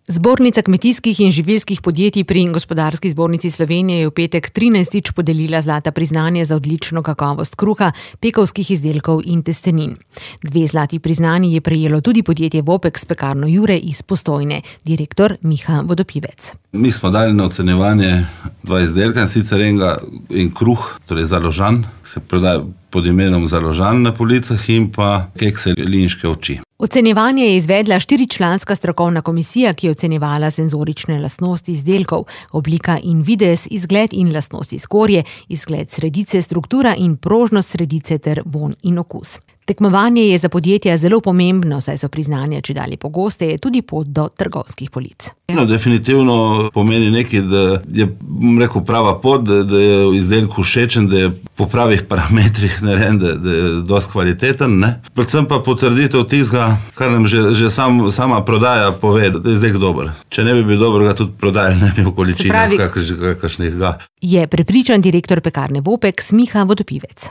Zbornica kmetijskih in živilskih podjetij pri Gospodarski zbornici Slovenije je v petek 13. podelila zlata priznanja za odlično kakovost kruha, pekovskih izdelkov in testenin. 2 zlati priznanji je prejelo tudi podjetje Vopek s pekarno Jure iz Postojne, direktor Miha Vodopivec. Mi smo dali na ocenjevanje 2 izdelka, in sicer en kruh, torej založan, se prodaja pod imenom založan na policah, in pa kekse linške oči. Ocenjevanje je izvedla 4-članska strokovna komisija, ki je ocenjevala senzorične lastnosti izdelkov, oblika in videz, izgled in lastnosti skorje, izgled sredice, struktura in prožnost sredice ter vonj in okus. Tekmovanje je za podjetja zelo pomembno, saj so priznanja čedalje pogosteje tudi pot do trgovskih polic. Definitivno pomeni nekaj, da je prava pot, da je izdelek všečen, da je po pravih parametrih narejen, da je dosti kvaliteten. Predvsem pa potrditev tistega, kar nam že sama prodaja pove, da je izdelek dober. Če ne bi bil dober, ga tudi prodajali ne bi v količinah, kakšnih ga. Je prepričan direktor pekarne Vopek Miha Vodopivec.